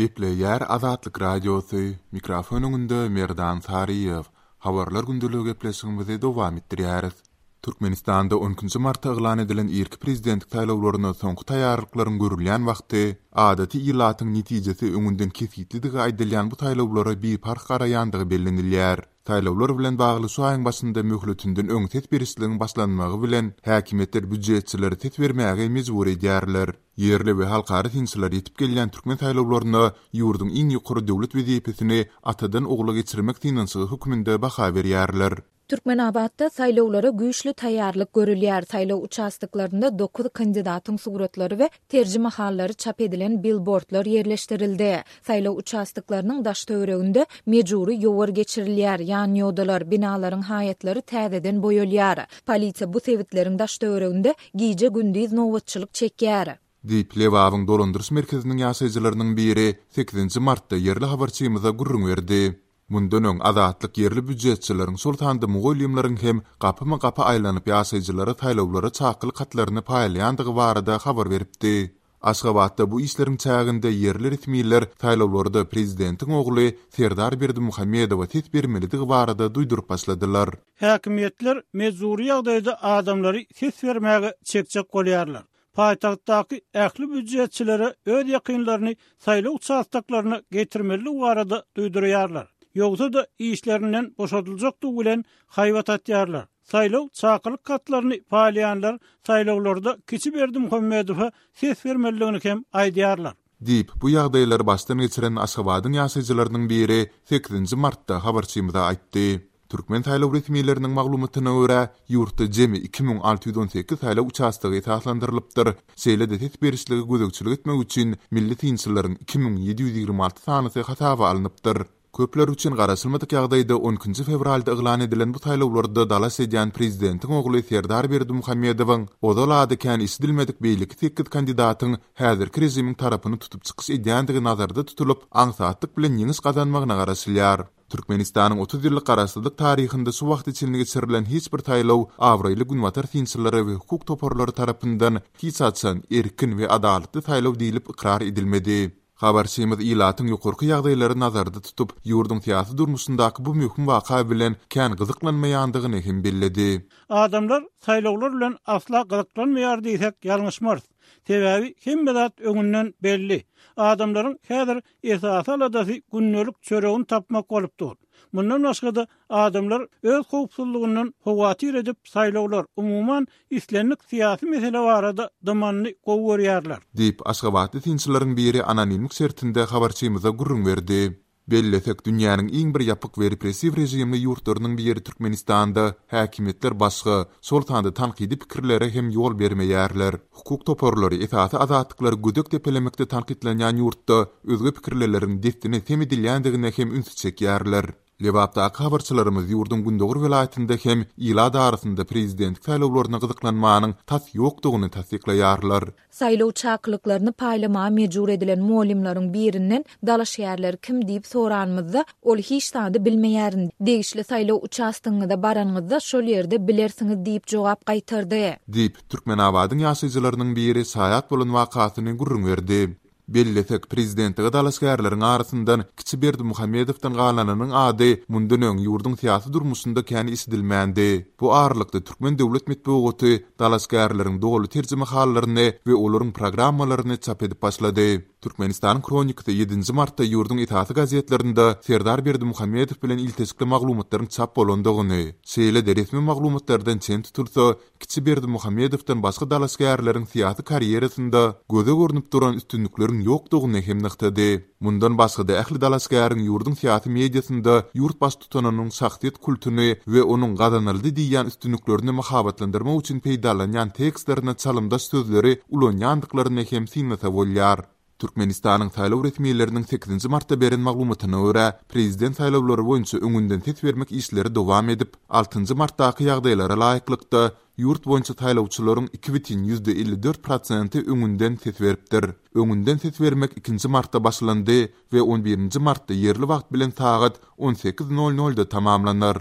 Gepleýär Azatlyk Radiosy, mikrofon öňünde Merdan Saryýew. Habarlar gündeligi gepleşigimizi dowam etdirýäris. Türkmenistanda on ikinji martda yglan edilen irki prezidentlik saýlawlaryna soňky taýýarlyklaryň görülýän wagty, adaty ilatyň netijesi öňünden kesgitlidigi aýdylýan bu saýlawlara biparh garaýandygy bellenilýär. Saýlawlar bilen bagly şu aýyň başynda möhletinden öň ses berişligiň başlanmagy bilen, häkimiýetler býujetçileri ses bermäge mejbur edýärler. Ýerli we halkara synçylar ýetip gelýän türkmen saýlawlaryna ýurduň iň ýokary döwlet wezipesini atadan ogla geçirmek synanyşygy hökmünde baha berýärler. Türkmenabatda saýlawlara güýçli taýýarlyk görülýär, saýlaw uçastoklarynda dokuz kandidatyň suratlary we terjimehallary çap edilen bilbordlar ýerleşdirildi. Saýlaw uçastoklarynyň daş-töwereginde mejbury ýowar geçirilýär, ýanýodalar, binalaryň haýatlary täzeden boýalýar. Polisiýa bu sebitleriň daş-töwereginde gije-gündiz nobatçylyk çekýär. Diýip, Lebabyň dolandyryş merkeziniň ýaşaýjylarynyň biri sekizinji martda ýerli habarçymyza gürrüň berdi. Mundan öň, Azatlyk ýerli býujetçileriň, şol sanda mugallymlaryň hem gapyma-gapy aýlanyp ýaşaýjylara saýlawlara çakylyk hatlaryny paýlaýandygy barada habar beripdi. Aşgabatda bu işleriň çäginde ýerli resmiler saýlawlarda prezidentiň ogly Serdar Berdimuhamedowa ses bermelidigi barada duýduryp başladylar. Häkimiýetler mejbury ýagdaýda adamlary ses bermäge çekjek bolýarlar. Paýtagtdaky ähli býujetçilere öz ýakynlaryny saýlaw uçastoklaryna getirmelidigi barada duýdurýarlar. Ýogsa-da işlerinden boşadyljakdygy bilen haýbat atýarlar. Saýlaw çakylyk hatlaryny paýlaýanlar saýlawlarda kiçi Berdimuhamedowa ses bermelidigini hem aýdýarlar. Diýip, bu ýagdaýlary başdan geçiren Aşgabadyň ýaşaýjylarynyň biri sekizinji martda habarçymyza aýtdy. Türkmen saýlaw resmileriniň maglumatyna görä, ýurtda jemi 2618 saýlaw uçastogy esaslandyrylypdyr, şeýle-de ses berişlige gözegçilik etmek üçin milli synçylaryň 2726 sanysy hasaba alnypdyr. Köpler üçin garaşylmadyk ýagdaýda on ikinji fewralda yglan edilen bu saýlawlarda dalaş edýän prezidentiň ogly Serdar Berdimuhamedowyň ozal ady kän eşidilmedik beýleki sekiz kandidatyň häzirki režimiň tarapyny tutup çykyş edýändigi nazarda tutulyp, aňsatlyk bilen ýeňiş gazanmagyna garaşylýar. Türkmenistanyň 30 ýyllyk garaşsyzlyk taryhynda şu wagta çenli geçirilen hiç bir saýlaw abraýly günbatar synçylary we hukuk toparlary tarapyndan hiç haçan erkin we adalatly saýlaw diýlip ykrar edilmedi. Habarçymyz ilatyň ýokarky ýagdaýlary nazarda tutup, ýurduň syýasy durmuşyndaky bu möhüm waka bilen kän gyzyklanmaýandygyny hem belledi. Adamlar saýlawlar bilen asla gyzyklanmaýar diýsek ýalňyşmarys. Sebäbi hemme zat öňünden belli. Adamlaryň häzir esasy aladasy gündelik çöregini tapmak bolup dur. Mundan başga-da, adamlar öz howpsuzlygyndan howatyr edip saýlawlar, umuman, islendik syýasy mesele barada dymanyny gowy görýärler. Diýip, aşgabatly synçylaryň biri anonimlik şertinde habarçymyza gürrüň berdi. Bellesek, dünýäniň iň bir ýapyk we repressiw režimli ýurtlarynyň biri Türkmenistanda häkimiýetler başga, şol sanda tankydy pikirlere hem ýol bermeýärler. Hukuk toparlary esasy azatlyklary gödek depelemekde tankytlanýan ýurtda özge pikirlileriň dessine sem edilýändigine hem ünsi çekýärler. Lebapdaky habarçylarymyz ýurduň gündogar welaýatynda hem ilat arasynda prezidentlik saýlawlaryna gyzyklanmanyň tas ýokdugyny tassyklaýarlar. Saýlaw çakylyklaryny paýlamaga mejbur edilen mugallymlaryň birinden dalaşgärler kim diýip soranymyzda, ol hiç zady bilmeýärin, degişli saýlaw uçastogyňyza baranyňyzda şol ýerde bilersiňiz diýip jogap gaýtardy. Diýip, Türkmenabadyň ýaşaýjylarynyň biri şaýat bolan wakasyny gürrüň berdi. Bellesek, prezidentlige dalaşgärleriň arasyndan kiçi Berdimuhamedowdan galanynyň ady mundan öň ýurduň syýasy durmuşynda kän eşidilmändi. Bu aralykda türkmen döwlet metbugaty dalaşgärleriň doly terjimehallaryny we olaryň programmalaryny çap edip başlady. Türkmenistanyň Hronikasy ýedinji martda ýurduň esasy gazetlerinde Serdar Berdimuhamedow bilen ilteşikli maglumatlaryň çap bolandygyny, şeýle-de resmi maglumatlardan çen tutulsa, Kiçi Berdimuhamedowdan başga dalaşgärleriň syýasy karýerasynda göze görnüp duran üstünlikleriň ýokdugyny hem nygtady. Mundan başga-da ähli dalaşgäriň ýurduň syýasy mediasynda ýurt baştutanynyň şahsyýet kultuny we onuň gazanyldy diýýän üstünliklerini mahabatlandyrmak üçin peýdalanýan tekstlerine çalymdaş sözleri ulanýandyklaryny hem synlasa bolýar. Türkmenistanyň saýlaw resmileriniň sekizinji martda beren maglumatyna görä, prezident saýlawlary boýunça öňünden ses bermek işleri dowam edip, altynjy martdaky ýagdaýlara laýyklykda, ýurt boýunça saýlawçylaryň 2,54 prosenti öňünden ses beripdir. Öňünden ses bermek ikinji martda başlandy we on birinji martda ýerli wagt bilen sagat on sekiz nol nolda tamamlanar.